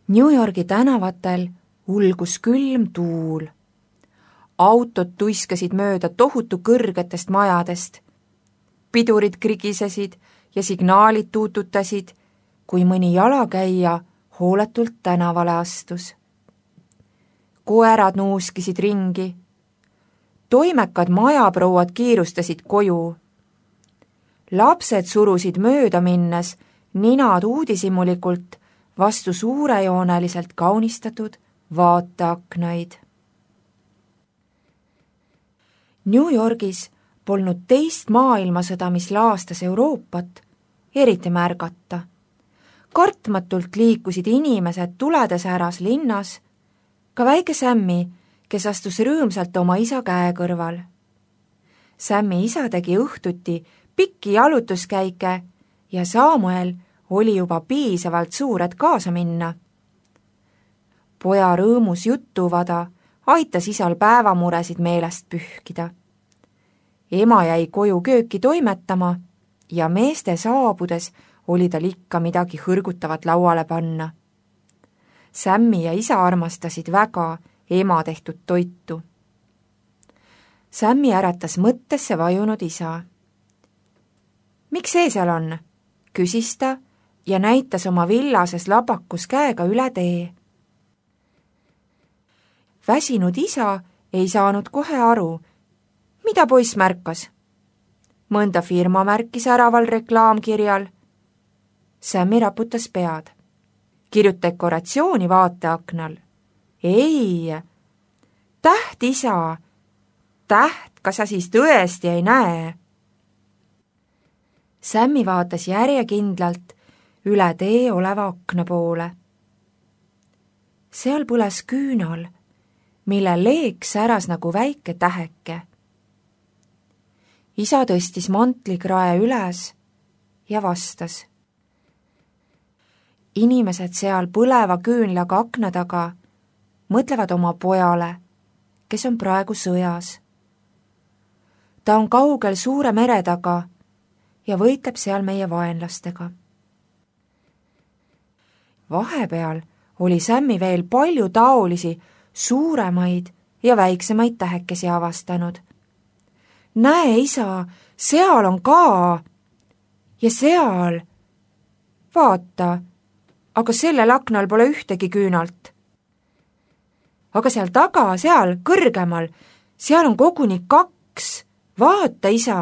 New Yorgi tänavatel ulgus külm tuul. Autod tuiskasid mööda tohutu kõrgetest majadest. Pidurid krigisesid ja signaalid tuututasid, kui mõni jalakäija hooletult tänavale astus. Koerad nuuskisid ringi. Toimekad majaprouad kiirustasid koju. Lapsed surusid mööda minnes ninad uudishimulikult vastu suurejooneliselt kaunistatud vaateaknaid. New Yorgis polnud teist maailmasõda, mis laastas Euroopat, eriti märgata. Kartmatult liikusid inimesed tuledes äras linnas, ka väike Sammy, kes astus rõõmsalt oma isa käe kõrval. Sammy isa tegi õhtuti pikki jalutuskäike ja Samuel oli juba piisavalt suur, et kaasa minna. Poja rõõmus jutuvada aitas isal päevamuresid meelest pühkida. Ema jäi koju kööki toimetama ja meeste saabudes oli tal ikka midagi hõrgutavat lauale panna. Sammy ja isa armastasid väga ema tehtud toitu. Sammy äratas mõttesse vajunud isa. Miks see seal on? Küsis ta ja näitas oma villases labakus käega üle tee. Väsinud isa ei saanud kohe aru, mida poiss märkas. Mõnda firma märkis äraval reklaamkirjal. Sammy raputas pead. Kirjuta dekoratsiooni vaateaknal. Ei, täht isa. Täht, kas sa siis tõesti ei näe? Sammy vaatas järjekindlalt üle tee oleva akna poole. Seal põles küünal, mille leek säras nagu väike täheke. Isa tõstis mantlikrae üles ja vastas. Inimesed seal põleva küünlaga akna taga mõtlevad oma pojale, kes on praegu sõjas. Ta on kaugel suure mere taga ja võitleb seal meie vaenlastega. Vahepeal oli Sammy veel palju taolisi suuremaid ja väiksemaid tähekesi avastanud. Näe, isa, seal on ka. Ja seal. Vaata, aga sellel aknal pole ühtegi küünalt. Aga seal taga, seal kõrgemal, seal on koguni 2. Vaata, isa.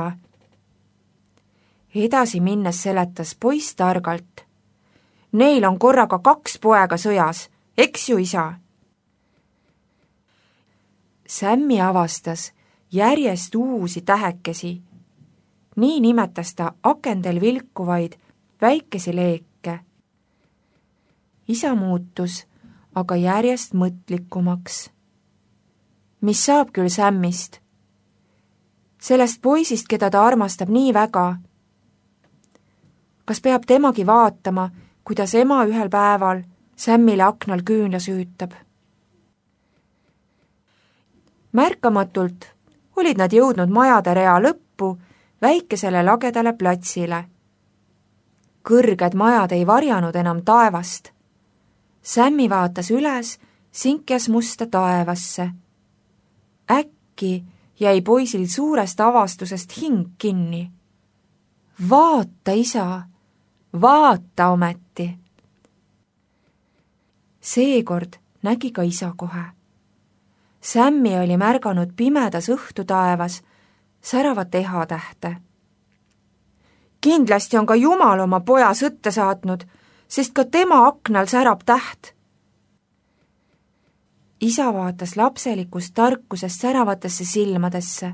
Edasi minnes seletas poiss targalt. Neil on korraga 2 poega sõjas, eks ju, isa? Sammy avastas järjest uusi tähekesi. Nii nimetas ta akendel vilkuvaid väikesi leeke. Isa muutus aga järjest mõtlikumaks. Mis saab küll Sammist? Sellest poisist, keda ta armastab nii väga. Kas peab temagi vaatama, kuidas ema ühel päeval Sammile aknal küünla süütab? Märkamatult olid nad jõudnud majade rea lõppu väikesele lagedale platsile. Kõrged majad ei varjanud enam taevast. Sammy vaatas üles sinkjas musta taevasse. Äkki jäi poisil suurest avastusest hing kinni. Vaata, isa, vaata ometi. Seekord nägi ka isa kohe. Sammy oli märganud pimedas õhtutaevas säravat ehatähte. Kindlasti on ka Jumal oma poja sõtta saatnud, sest ka tema aknal särab täht. Isa vaatas lapselikust tarkusest säravatesse silmadesse.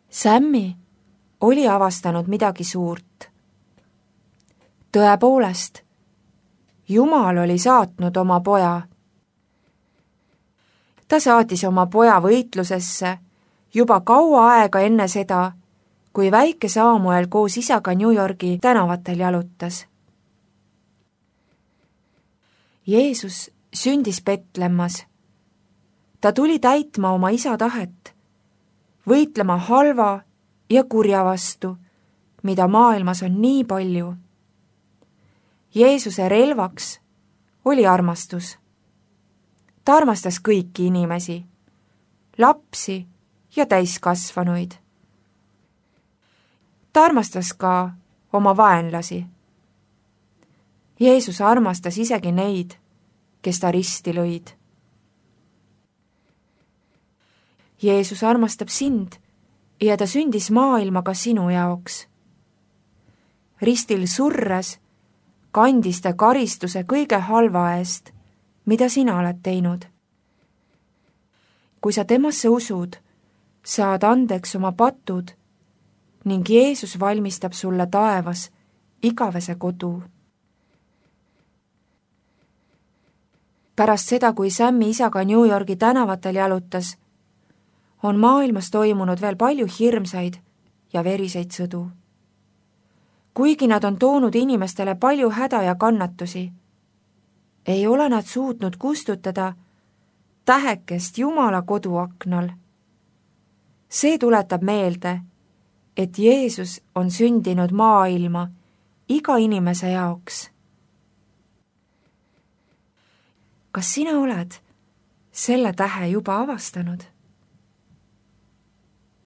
Sammy oli avastanud midagi suurt. Tõepoolest, Jumal oli saatnud oma poja. Ta saatis oma poja võitlusesse juba kaua aega enne seda, kui väike Samuel koos isaga New Yorgi tänavatel jalutas. Jeesus sündis Betlemmas. Ta tuli täitma oma isa tahet, võitlema halva ja kurja vastu, mida maailmas on nii palju. Jeesuse relvaks oli armastus. Ta armastas kõiki inimesi, lapsi ja täiskasvanuid. Ta armastas ka oma vaenlasi. Jeesus armastas isegi neid, kes ta risti lõid. Jeesus armastab sind ja ta sündis maailma ka sinu jaoks. Ristil surres kandis ta karistuse kõige halva eest, mida sina oled teinud. Kui sa temasse usud, saad andeks oma patud ning Jeesus valmistab sulle taevas igavese kodu. Pärast seda, kui Sammi isaga New Yorgi tänavatel jalutas, on maailmas toimunud veel palju hirmsaid ja veriseid sõdu. Kuigi nad on toonud inimestele palju häda ja kannatusi, ei ole nad suutnud kustutada tähekest Jumala koduaknal. See tuletab meelde, et Jeesus on sündinud maailma iga inimese jaoks. Kas sina oled selle tähe juba avastanud?